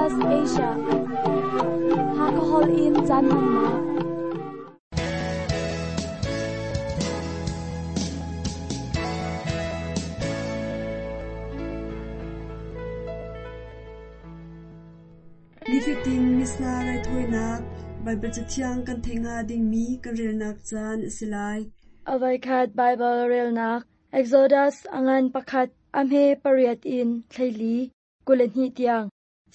Adventist Asia. Hakahol in caan hmannak. Nifatin Missa raithawinak Baibal Cathiang kan theih hnga dingmi kan relnak caan a si lai. A voikhat Baibal relnak Exodus a ngan pakhat a hme pariat in thleili 22 tiang.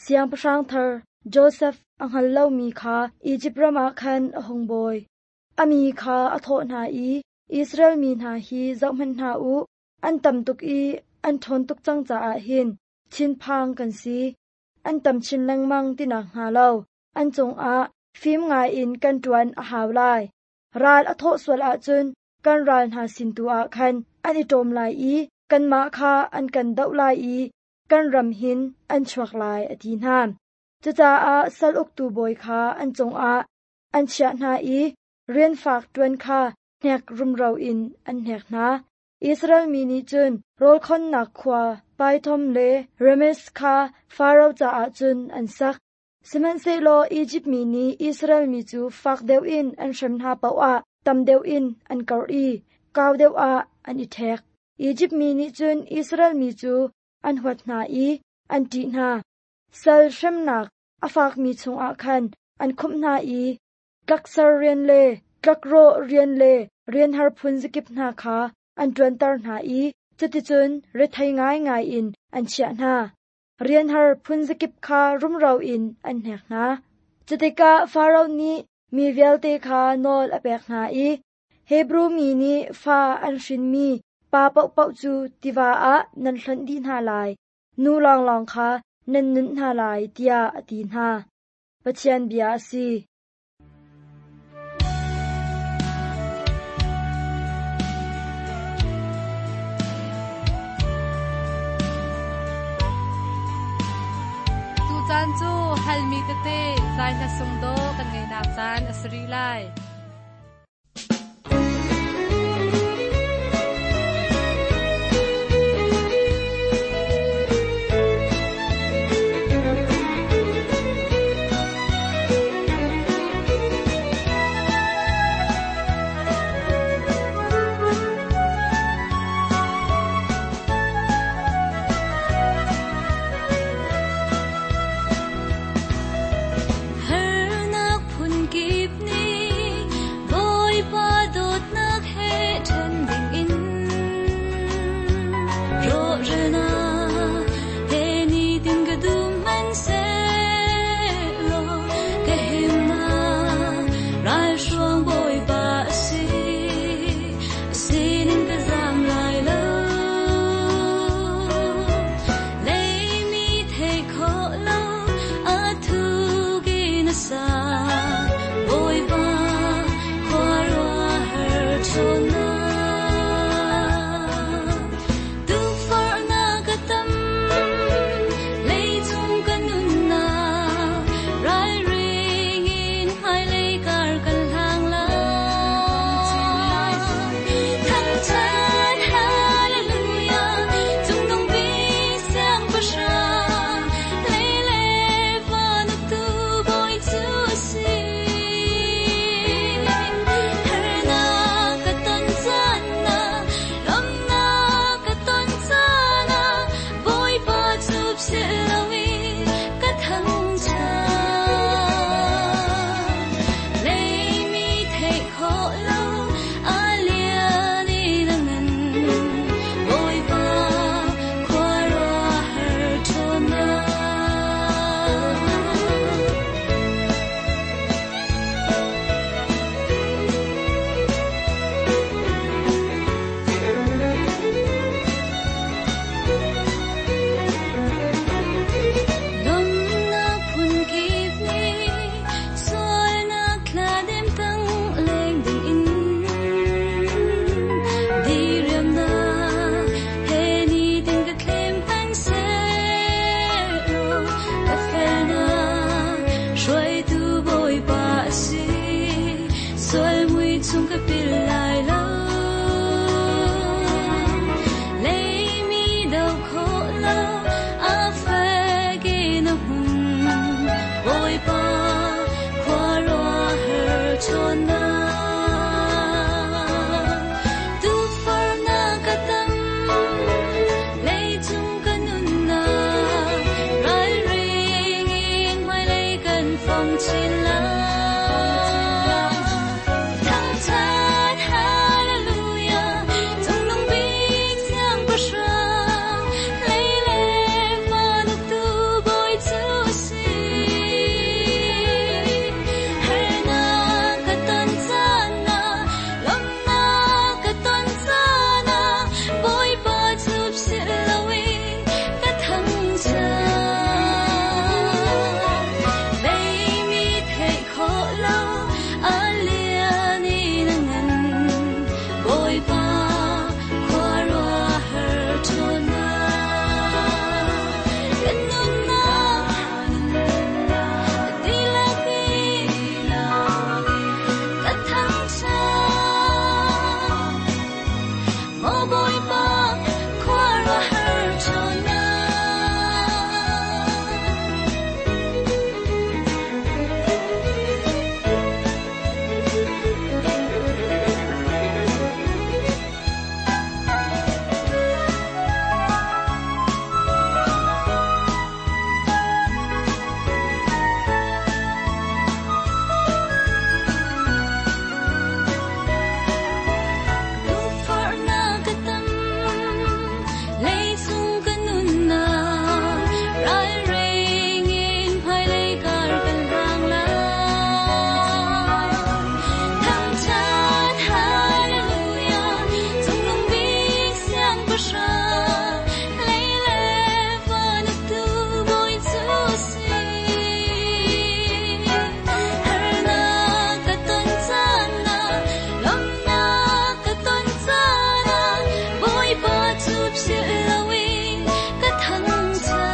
Siangpahrang thar Josef a hngal lomi kha Izipt ram ah khan a hung bawi. A mi kha a thawh hna i, Israel mi hna hi zohhmanh hna u, an tam tuk i an ṭhawn tuk cang caah hin thinphang kan si. An tam chin lengmang ti nakhnga lo an cungah fim ngaiin kan ṭuan a hau lai. Ral a thawh sual ahcun kan ral hna sin tu ah khan an i ṭawm lai i kanmah kha an kan doh lai i kan ram hin an chuak lai, a ti hna. Cucaah sal uktu bawi kha an cungah an chiah hna i rian fak ṭuan kha hnek rumro in an hnek hna. Israel mi nih cun rawl khonnak khua Pithom le Rameses kha Faro caah cun an sak. Sihmanhsehlaw Izipt mi nih Israel mi cu fak deuh in an hrem hna paoh ah tam deuh in an karh i kau deuh ah an i ṭhek. Izipt mi nih cun Israel mi cu an huat hna i an ṭih hna. Sal hremnak a fakmi chungah khan an khumh hna i tlakser rian le tlakrawh rian le rian har phun zakip hna kha an ṭuanter hna i cuticun rethei ngaingai in an chiah hna. Rian har phun zakip kha rumro in an hnek hna. Cutikah Faro nih mi vialte kha nawl a pek hna i Hebru mi nih fa an hrinmi pa paohpaoh cu tiva ah nan hlonh dih hna lai, nu lawnglawng kha nan nunh hna lai, tiah a ti hna. Pathian bia a si. Tucaan cu halmi tete zai hla sung dawh kan ngeihnak caan a si rih lai. Harnak phunkip nih Bawipa dawtnak he ṭhen dingin rawhralnak he nitin ka dum hmanhsehlaw ka himnak ralhruang Bawipa a si, a sinin ka zaam lai lo. Leimi theih khawh lo a thuk in a sang, Bawipa khuaruahhar ṭhawnnak. Tukforhnak a tam, leicung ka nunnak, ralring in hmailei kar kan hlang lai. Thangṭhat hallelujah, cungnung bik siangpahrang, lei le van uktu Bawi cu a si. Harnak ka ton caan ah, lawmhnak ka ton caan ah, Bawipa cu philh loin ka thangṭhat. Leimi theih khawh lo a lian in a ngan, Bawipa khuaruahhar ṭhawnnak. Lawmhnak phunkip nih sualnak thladem tang leng dingin diriamnak he nitin ka thlem hmanhsehlaw ka felnak hruaitu Bawipa a si, sual mui chung ka pil lai lo. Leimi do khawh lo a fek in a hmun, ṭhawng chin lai. Thangṭhat Hallelujah, Cungnung bik Siangpahrang, lei le van uktu Bawi cu a si. Harnak ka ton caan ah, lawmhnak ka ton caan ah, Bawipa cu philh loin ka thangṭhat. Leimi theih khawh lo a lian in a ngan, Bawipa khuaruahhar ṭhawnnak. Kan nunnak dihlak in ka thangṭhat. Maw Bawipa khuaruahhar ṭhawnnak. Lungfahnak ka tam, leicung ka nunnak, ralring in hmailei kar kan hlang lai. Thangṭhat Hallelujah, Cungnung bik Siangpahrang, lei le van uktu Bawi cu a si. Harnak ka ton caan ah, lawmhnak ka ton caan ah, Bawipa cu philh loin ka thangṭhat.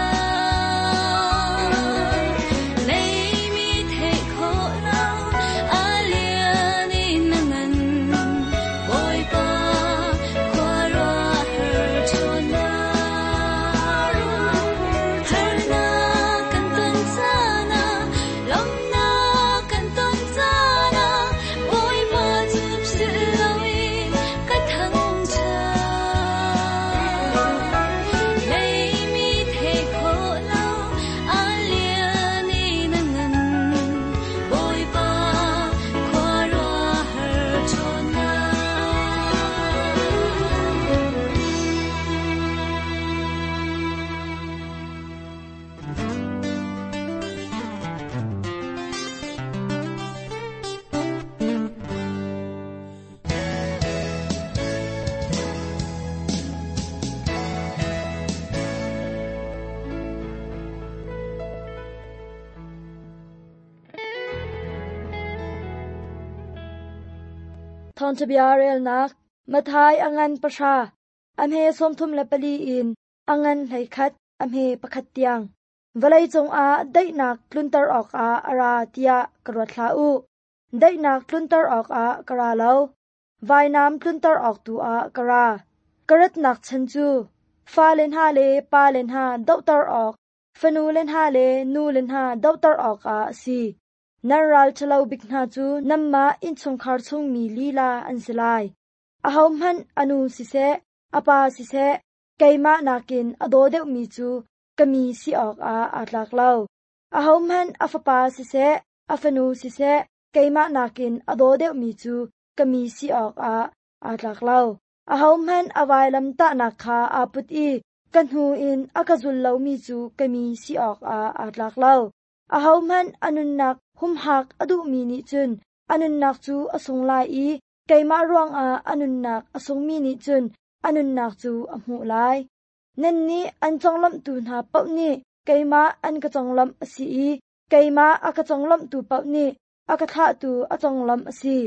Leimi theih khawh lo a lian in a ngan, Bawipa khuaruahhar ṭhawnnak. Harnak kan ton caan ah, lawmhnak kan ton caan ah, Bawipa cu philh loin ka thangṭhat. Leimi theih khawh lo a lian in a ngan, Bawipa khuaruahhar ṭhawnnak. Thawngṭhabia relnak Matthai a ngan 10, a hme 34 in a ngan 11, a hme 1 tiang. Vawlei cungah daihnak tlunter awkah a ra tiah ka ruat hlah u. Daihnak tlunter awkah ka ra lo, vainam tlunter awk tu ah ka ra. Ka ratnak chan cu fale hna le pale hna dohter awk, fanule hna le nule hna dohter awkah a si. Nan ral ṭhalo bik hna cu nanmah innchungkhar chungmi lila an si lai. Ahohmanh a nu siseh, a pa siseh, keimah nakin a daw deuhmi cu ka mi si awkah aa tlak lo. Ahohmanh a fapa siseh, a fanu siseh, keimah nakin a daw deuhmi cu ka mi si awkah aa tlak lo. Ahohmanh a vailam tahnak kha aa put i ka hnu in a ka zul lomi cu ka mi si awkah aa tlak lo. Ahohmanh a nunnak humhak a duhmi nih cun a nunnak cu a sung lai i keimah ruangah a nunnak a sungmi nih cun a nunnak cu a hmuh lai. Nannih an conglawmhtu hna paoh nih keimah an ka conglawmh a si i keimah a ka conglawmhtu paoh nih a ka thlahtu a conglawmh a si.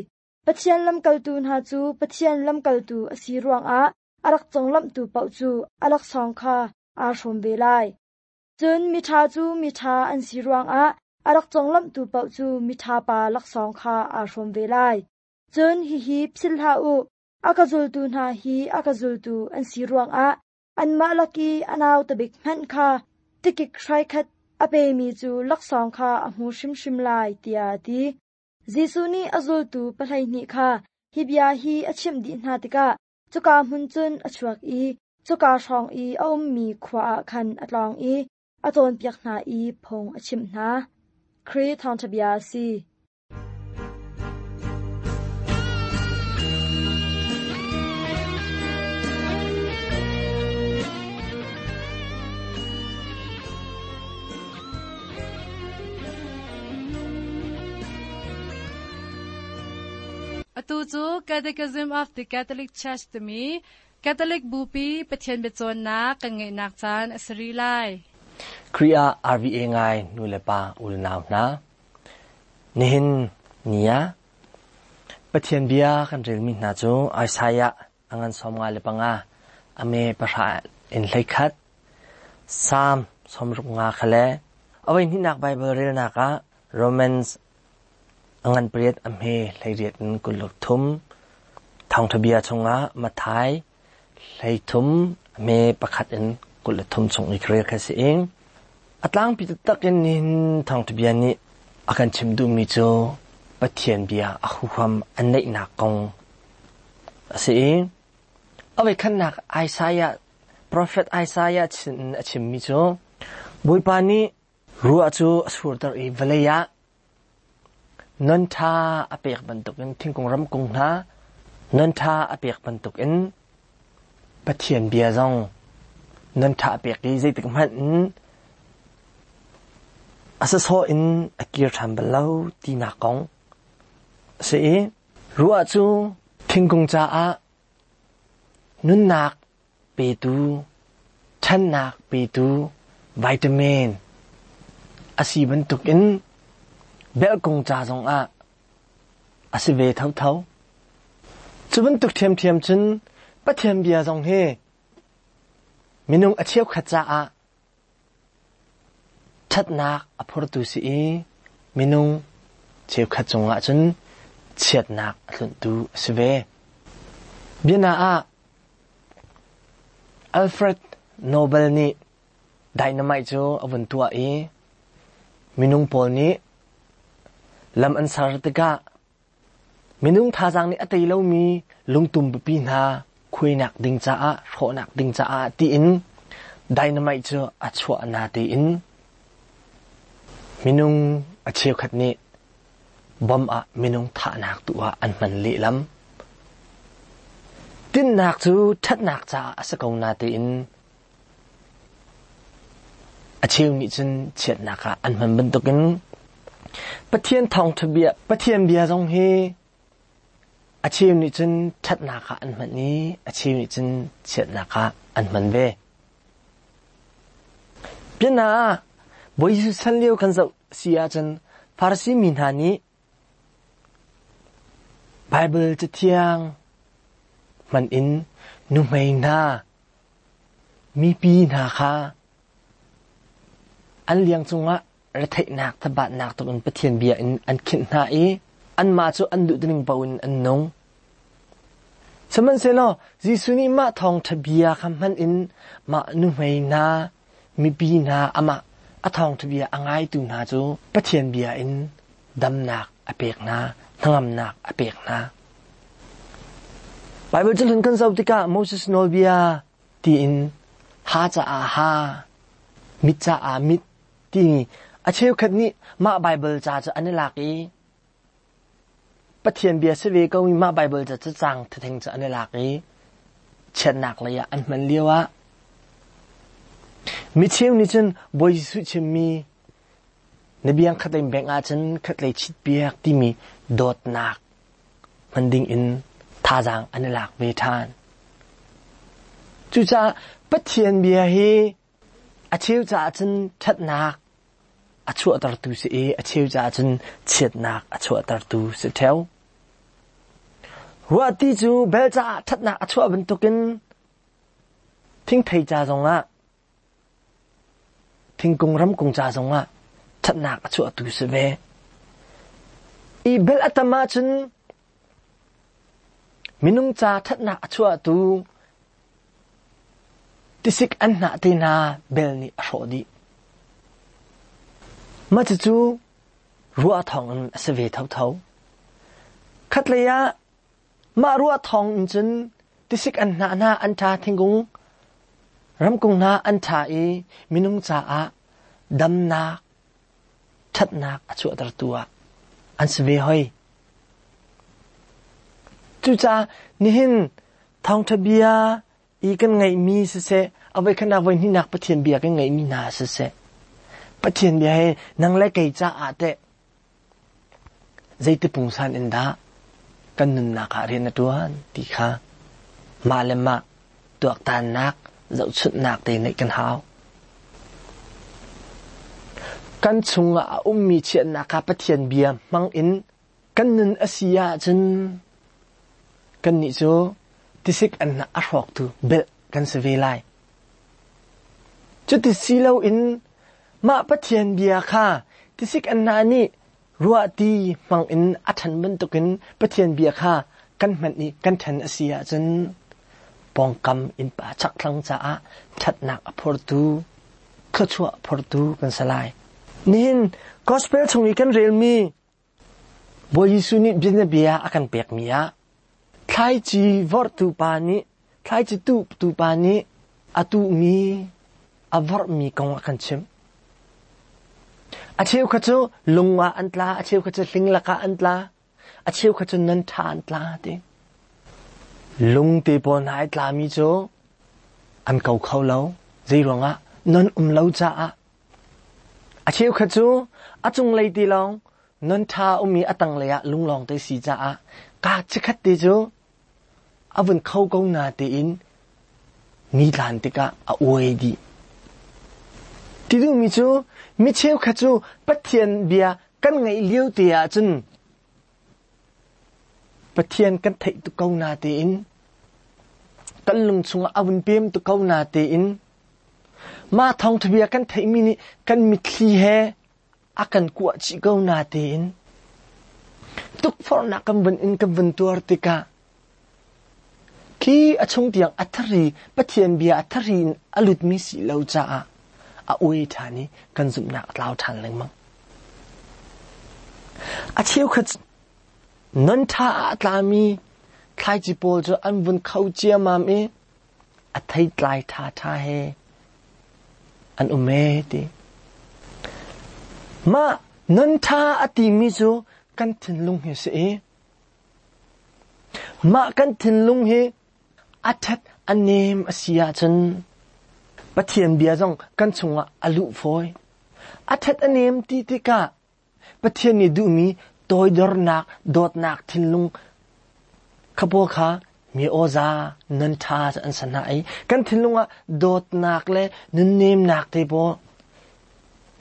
Pathian lamkaltu hna cu Pathian lamkaltu a si ruangah a rak conglawmhtu paoh cu a laksawng kha aa hrawm ve lai. Cun miṭha cu miṭha an si ruangah a rak conglawmhtu paoh cu miṭha pa laksawng kha aa hrawm ve lai. Cun hihi philh hlah u, a ka zultu hna hi a ka zultu an si ruangah anmah lak i a nauta bik hmanh kha tikik hraikhat a pemi cu laksawng kha a hmu hrimhrim lai, tiah a ti. Jesuh nih a zultu 12 kha hi bia hi a chimh dih hna tikah cuka hmun cun a chuak i cuka hrawng i a ummi khua ah khan a tlawng i a cawnpiak hna i phung a chimh hna. Khrih thawngṭha bia a si. Atu cu Catechism of the Catholic Church timi Catholic Bupi Pathian biacawnnak kan ngeihnak caan a si rih lai. Khrih ah RVA ngai nu le pa unau hna, nihin ni ah Pathian bia kan relmi hna cu Isaiah a ngan 55 a me pahra in 11, Salm 65 kha le a voihnihnak Baibal relnak ah Romans a ngan pariat a hme 18 in 23, Thawngṭha bia chungah Matthai 13 a hme pakhat in 23 chung i ka rel kha si i a tlangpi taktak in nihin thawngṭha bia nih a kan chim duhmi cu Pathian bia a huham a neihnak kong a si i a voikhatnak Isaiah profet Isaiah a chimmi cu Bawipa nih ruah cu a surter i vawlei ah non ṭha a pek bantukin thingkung ramkung hna non ṭha a pek bantukin Pathian bia zong non ṭha a pek i zeitik hmanh in a sawsawh in a kir ṭhan bal lo tinak kong a si i ruah cu thingkung caah nunnak petu, ṭhannak petu vitamin a si bantukin belhkung ca zongah a si ve thotho. Cu bantuk ṭhiamṭhiam cun Pathian bia zong hi minung a cheukhat caah Ṭhatnak a phortu si i minung cheukhat cungah cun chiatnak a tlunhtu a si ve. Biana ah Alfred Nobel nih dynamite cu a vun tuah i minung pawl nih lam an ser tikah minung thazaang nih a tei lomi lungtum pipi hna khuainak ding caah, hrawhnak ding caah tiin dynamite cu a chuah na tiin minung a cheukhat nih bom ah minung thahnak tu ah an hman lehlam. Tinhnak cu ṭhatnak caah a si ko na tiin a cheu nih cun chiatnak ah an hman bantukin Pathian thawngṭha bia, Pathian bia zong hi a cheu nih cun ṭhatnak ah an hman i a cheu nih cun chiatnak ah an hman ve. Biana ah Bawi Jesuh chan lio kan zoh si ahcun Farasi mi hna nih Baibal Cathiang hman in nuhmei hna, mipi hna kha an liang cungah retheihnak thabatnak tuk in Pathian bia in an khinh hna i anmah cu an duh ning paoh in an nung. Sihmanhsehlaw Jesuh nih mah thawngṭha bia kha hman in mah nuhmei hna, mipi hna amah a thawngṭha bia a ngaitu hna cu Pathian bia in damnak a pek hna, hnangamnak a pek hna. Baibal cahlun kan zoh tikah Moses nawlbia tiin ha caah ha, mit caah mit timi a cheukhat nih mah Baibal ca cu an i lak i Pathian bia si ve ko mi mah Baibal ca cu caang thetheng cu an i lak i chiatnak lei ah an hman lio ah mi cheu nih cun Bawi Jesuh chimmi na biang khatlei bengh ahcun khatlei chit piak timi dawtnak hman ding in thazaang an i lak ve ṭhan. Cucaah Pathian bia hi a cheu caah cun ṭhatnak a chuahtertu si i a cheu caah cun chiatnak a chuahtertu si ṭheo. Ruahti cu bel caah ṭhatnak a chuah bantukin thingthei ca zongah thingkung ramkung ca zongah ṭhatnak a chuahtu si ve. I bel a tam ahcun minung ca ṭhatnak a chuahtu Tisik an hnah te hna bel nih a hrawh dih. Mah cucu ruah thawngin a si ve thotho. Khatlei ah mah ruah thawng in cun tisik an hnah hna an ṭha thingkung ramkung hna an ṭha i minung caah damnak. ṭhatnak a chuahtertu ah an si ve hoi. Cucaah nihin thawngṭha bia i kan ngeihmi siseh, a voikhatnak voihnihnak Pathian bia kan ngeihmi hna siseh, Pathian bia hi nang le kei caah teh zeiti pungsan in dah kan nunnak ah rian a ṭuan ti kha mah le mah tuaktannak, zohchunhnak te neih kan hau. Kan chungah a ummi chiatnak kha Pathian bia hmang in kan nun a si ahcun kannih cu tisik anhnah a hrawktu belh kan si ve lai. Cuti si loin mah Pathian bia kha tisik anhnah nih ruahti hmang in a ṭhan bantukin Pathian bia kha kan hman i kan ṭhen a si ahcun pawngkam innpa chakthlang caah ṭhatnak a phortu, thluachuah phortu kan si lai. Nihin gospel chung i kan relmi Bawi Jesuh nih bianabia a kan pekmi ah thlaici vorhtu pa nih thlaici tuhtu pa nih a tuhmi a vorhmi kong a kan chimh. A cheu kha cu lung ah an tla, a cheu kha cu hling lakah an tla, a cheu kha cu nan ṭha an tla ti. Lung te pawl hna ai tlami cu an ko kho lo. Zei ruangah? Non um lo caah. A cheukhat cu a cunglei ti lawng non ṭha um i a tanglei ah lunglawng te si caah kaa chikkhat te cu a vun kho ko na tiin ni tlan tikah a uai dih. Ti duhmi cu mi cheukhat cu Pathian bia kan ngaih lio te ahcun Pathian kan theih tuk ko na tiin kan lung chungah a vun pem tuk ko na tiin Mah thawngṭha bia kan theihmi nih kan mitthli he a kan kuah chih ko natein tukforhnak kan vun in kan vun tuar tikah khi a chung tiang a thari Pathian bia a thari in a lutmi si lo caah a uai ṭhan i kan zumhnak a tlau ṭhan lengmang. A cheukhat non ṭha ah a tlami thlaici pawl cu an vun kho ciammam i a theitlai ṭhaṭha he an um ee ti. Mah nun ṭha a timi cu kan thinlung hi si i mah kan thinlung hi a ṭhat a nem a si ahcun Pathian bia zong kan chungah a luh fawi. A ṭhat a nem ti tikah Pathian nih duhmi toidornak, dawtnak thinlung kha pawl kha mi awza nan ṭha an sa hna i kan thinlung ah dawtnak le nunnemnak te pawl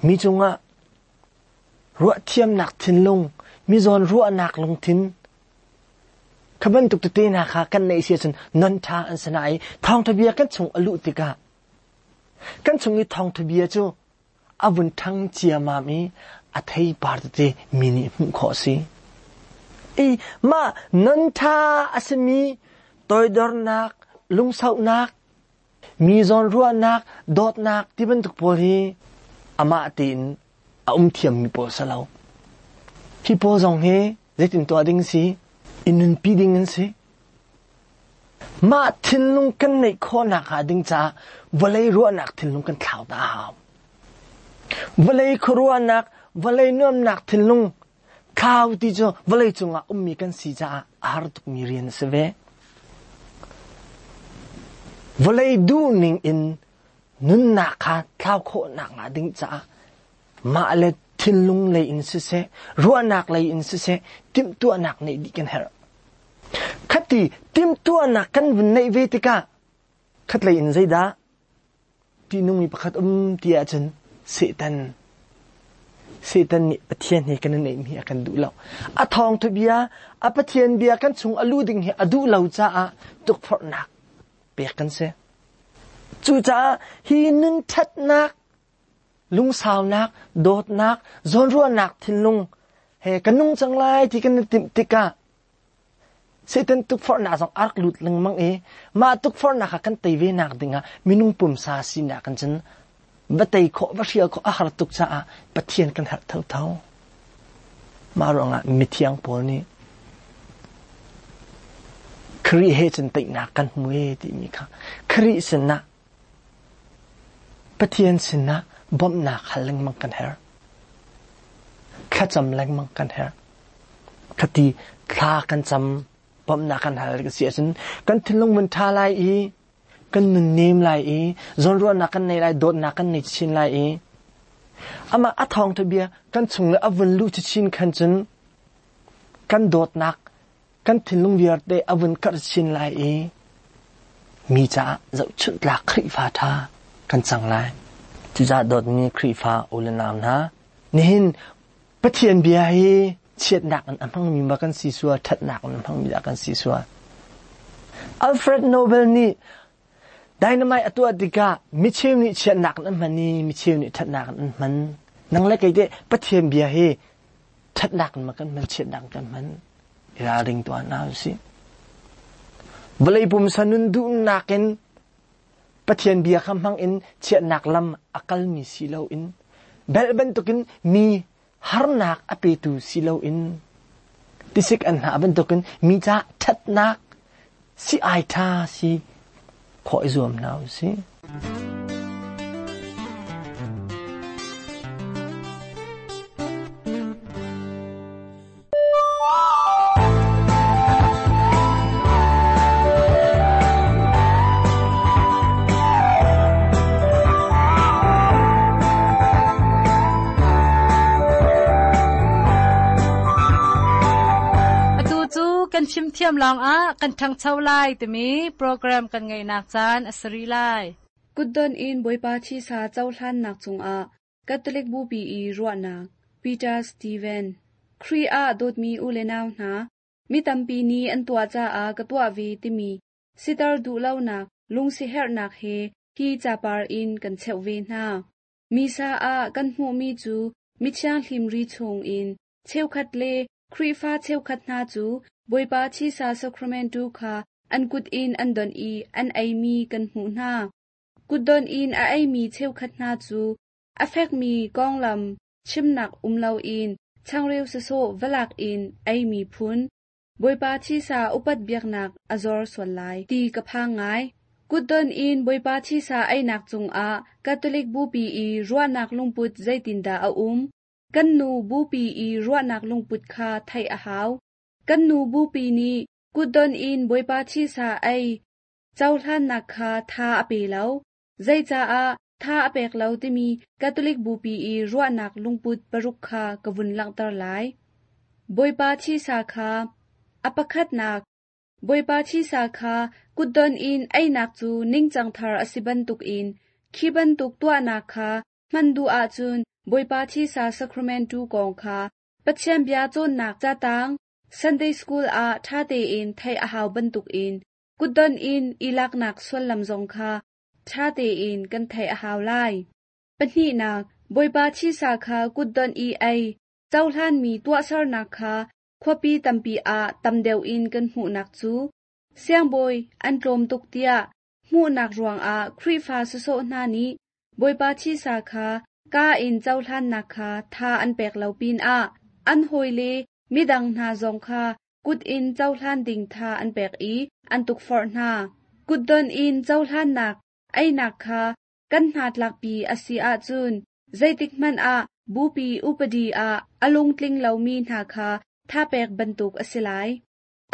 mi cungah ruahthiamnak thinlung, mi zawn ruahnak lungthin kha bantuk tete hna kha kan neih si ahcun non ṭha an si hna i thawngṭha bia kan chung a luh tikah kan chung i thawngṭha bia cu a vun ṭhang ciammam i a theipar tete mi nih hmuh khawh a si. I mah non ṭha a simi toidornak, lungsauhnak, mi zawnruahnak, dawtnak ti bantuk pawl hi amah tein a um thiammi pawl si lo. Hi pawl zong hi zeitin tuah ding si? I nunpi ding an si. Mah thinlung kan neih khawhnak hnga ding caah vawlei ruahnak thinlung kan thlau ta a hau. Vawlei khuaruahnak, vawlei nuamnak thinlung thlau ti cu vawlei cungah ummi kan si caah a har tukmi rian a si ve. Vawlei duhning in nunnak kha thlau khawhnak hnga ding caah mah le thinlung lei in siseh, ruahnak lei in siseh, timhtuahnak neih dih kan herh. Khati timhtuahnak kan vun neih ve tikah khatlei in zeidah ṭihnungmi pakhat um ti ahcun Satan Satan nih Pathian he kan i neihmi a kan duh lo. A thawngtha bia, a Pathian bia kan chung a luh ding hi a duh lo caah tukforhnak pek kan si. Cucaah hi nun ṭhatnak, lungsaunak, dawtnak, zawnruahnak thinlung he ka nung cang lai ti kan i timh tikah Satan tukforhnak zong a rak lut lengmang i mah tukforhnak kha kan tei ve nak dingah minung pumsa sinak in cun va tei khawh va hrial khawh a har tuk caah Pathian kan herh thotho. Mah ruangah mithiang pawl nih Khrih he cun teinak kan hmu e timi kha Khrih sinah Pathian sinah bawmhnak hal lengmang kan herh. Thlacam lengmang kan herh. Khati thla kan cam bawmhnak kan hal si ahcun kan thinlung mun ṭha lai i kan nun nem lai i zawnruahnak kan nei lai, dawtnak kan nei chin lai i amah a thawngṭha bia kan chung le a vun luh chin khan cun kan dawtnak kan thinlung vialte a vun karh chin lai i mi caah zohchunh tlak Khrihfa ṭha kan cang lai. Cucaah dawtmi Khrihfa u le nau hna, nihin Pathian bia hi chiatnak in a hmangmi ma kan si sual, ṭhatnak in a hmangmi dah kan si sual. Alfred Nobel nih dynamite a tuah tikah micheu nih chiatnak in an hman i micheu nih ṭhatnak in an hman. Nang le kei teh Pathian bia hi ṭhatnak in ma kan hman, chiatnak in kan hman. I ralring tuah hna usih. Vawlei pumsa nun duhnak in Pathian bia kha hmang in chiatnak lam a kalmi si loin belh bantukin mi harnak a petu si loin tisik an hnah bantukin mi caah ṭhatnak si ai ṭha si khawh i zuam hna usih. Atu cu kan fimthiam lawngah kan ṭhangcho lai timi program kan ngeihnak caan a si rih lai. Kutdon in Bawipa thisa cohlannak cungah Catholic Bupi i ruahnak Peter Steven Khrih ah dawtmi u le nau hna, mi tampi nih an tuah caah ka tuah ve timi siter duhlonak lungsiherhnak he hi capar in kan cheuh ve hna. Misa ah kan hmuhmi cu mithianghlim ri chung in cheukhat le Khrihfa cheukhat hna cu Bawipa Thisa Sacrament kha an kut in an donh i an eimi kan hmuh hna. Kutdon in a eimi cheukhat hna cu a fekmi konglam chimnak um loin changreu sawsawh va lak in eimi phun, Bawipa thisa upat biaknak a zor sual lai ti ka phang ngai. Kutdon in Bawipa thisa einak cungah Catholic Bupi i ruahnak lungput zeitindah a um? Kan nu Bupi i ruahnak lungput kha theih a hau. Kan nu Bupi nih kutdon in Bawipa thisa ei cohlannak kha tha a pe lo. Zeicaah tha a pek lo timi Catholic Bupi i ruahnak lungput paruk kha ka vun langhter lai. Bawipa thisa kha a pakhatnak Bawipa thisa kha kutdon in einak cu ningcang thar a si bantukin khi bantuk tuahnak kha hman duh ahcun Bawipa thisa sacrament kong kha Pathian bia cawnnak catang Sunday School ah ṭha tein theih a hau bantukin Kutdon in i laknak sullam zong kha ṭha tein kan theih a hau lai. Pahnihnak, Bawipa thisa kha kutdon i ei, cohlanmi tuahsernak kha khuapi tampi ah tam deuh in kan hmuhnak cu siangbawi an tlawm tuk tiah hmuhnak ruangah Khrihfa sawsawh hna nih Bawipa thisa kha kaa in cohlannak kha tha an pek lo pinah an hawile midang hna zong kha kut in cohlan ding tha an pek i an tukforh hna. Kutdon in cohlannak einak kha kan hnatlakpi a si ahcun zeitikhmanh ah bupi upadi ah a lungtling lomi hna kha thapek bantuk a si lai.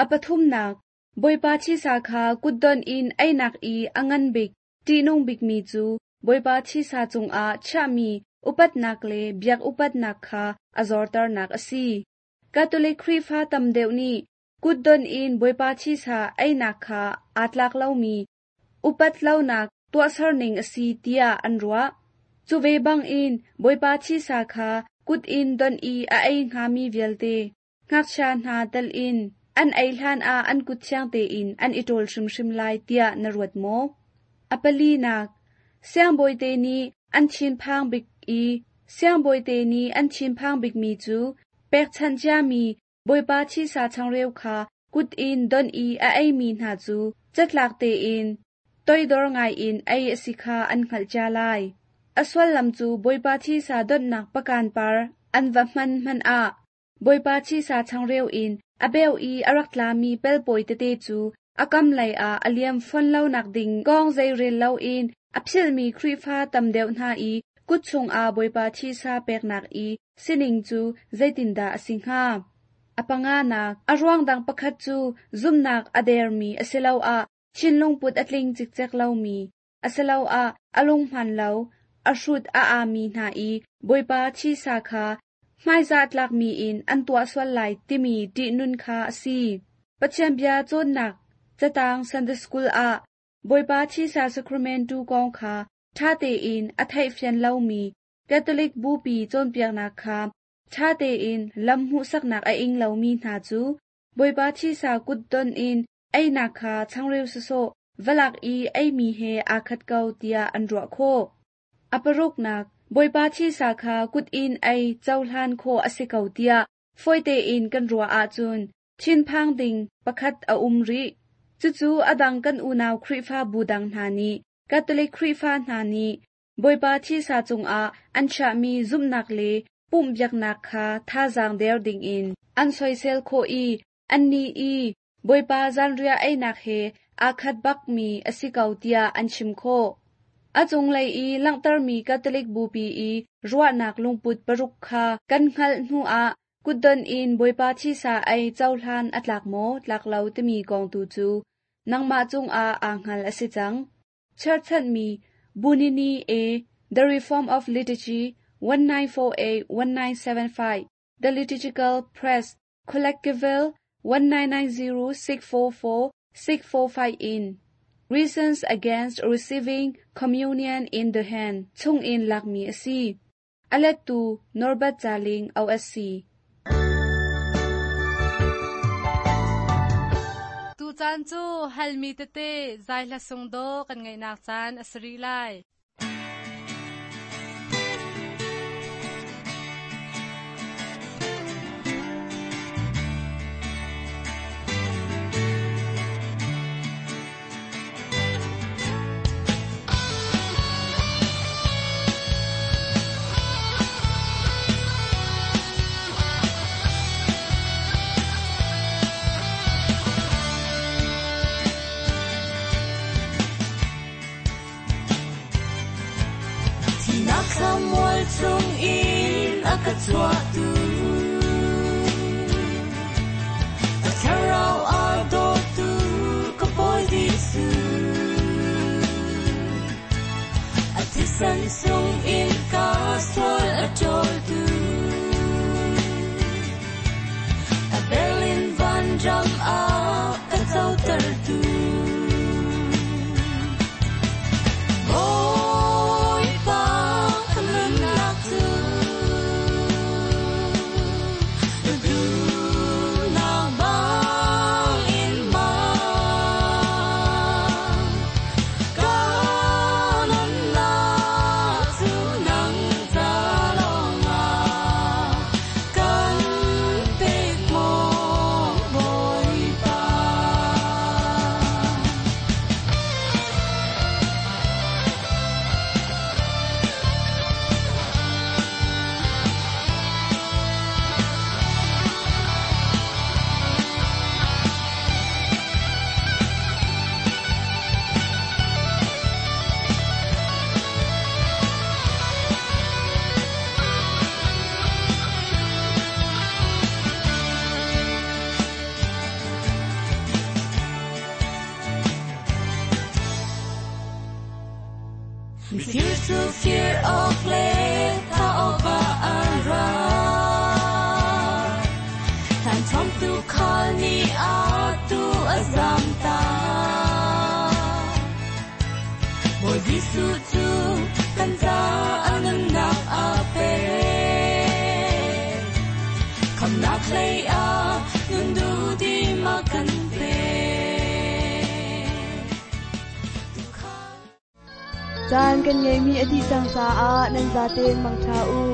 A pathumnak, Bawipa thisa kha kutdon in einak i a ngan bik, ṭihnung bikmi cu Bawipa thisa cungah chiahmi upatnak le biak upatnak kha a zorternak a si. Catholic Khrihfa tam deuh nih kutdon in Bawipa thisa einak kha aa tlak lomi upat lonak tuahserning a si tiah an ruah. Cu ve bangin Bawipa thisa kha kut in don i a ei hngami vialte, ngakchia hna tel in, an ei hlanah an kut thiang tein an i ṭawl hrimhrim lai tiah na ruat maw? A palinak, siangbawite nih an thinphang bik i siangbawite nih an thinphang bikmi cu pekchanh ciami Bawipa thisa changreu kha kut in don i a eimi hna cu catlak tein toidor ngaiin ei a si kha an hngalh cia lai. A sullam cu Bawipa thisa donhnak pakan par an va hman hmanh ah Bawipa thisa changreu in a beu i a rak tlami pelpawi tete cu a kam lei ah a liam fawn lonak ding kong zeirel loin a philhmi Khrihfa tam deuh hna i Kut chungah Bawipa thisa peknak i sining cu zeitindah a si hnga? A panganak, a ruang dang pakhat cu zumhnak a dermi asiloah thinlungput a tling cikcek lomi, asiloah a lunghman lo, a hrut a aami hna i Bawipa thisa kha hmaizah tlakmi in an tuah sual lai timi ṭihnun kha a si. Pathian bia cawnnak catang Sunday School ah Bawipa thisa sacrament tu kong kha ṭha tein a theihfian lomi Catholic Bupi cawnpiaknak kha ṭha tein lam hmuhsaknak a ing lomi hna cu Bawipa thisa kutdon in einak kha changreu sawsawh va lak i eimi he aa khat ko tiah an ruah khawh. A paruknak, Bawipa thisa kha kut in ei cohlan khawh a si ko tiah fawi tein kan ruah ahcun thinphang ding pakhat a um rih. Cucu a dang kan unau Khrihfabu dang hna nih Catholic Khrihfa hna nih Bawipa thisa cungah an chiahmi zumhnak le pumhbiaknak kha thazaang der dingin an soisel khawh i annih i Bawipa zanriah einak he aa khat bakmi a si ko tiah an chim khawh. A cunglei i langhtermi Catholic Bupi i ruahnak lungput paruk kha kan hngalh hnuah kutdon in Bawipa thisa ei cohlan a tlak maw tlak lo timi kong tu cu nangmah cungah aa hngal a si cang. Cherhchanhmi Bunini A. The Reform of Liturgy 1948-1975 The Liturgical Press Collectable 1990-644-645 in Reasons Against Receiving Communion in the Hand chungin lakmi a si. A lettu Norbert Caling OSC. Tu caan cu halmi tete zai hla sung do kan ngaihnak caan a si rih lai. Chung in a ka chuahtu a thlarau a dawtu ka Bawi Jesuh a thisen sung in ka sual a ṭawltu a Berlin vanram a ka cotertu Bawipa ka nunnak cu na duhnak bangin hmang. Ka nunnak cu nang ca lawngah kan pek maw Bawipa. Mifir cu fir awk le tha awkah an ra. Thlan tu khal nih a tu a zamtak. Bawi Jesuh cu kan ca a nunnak a pek. Khamnak hlei ah nun duhdim a kan pek. Caan kan ngeimi a dih cang caah nan zaten mangṭha u.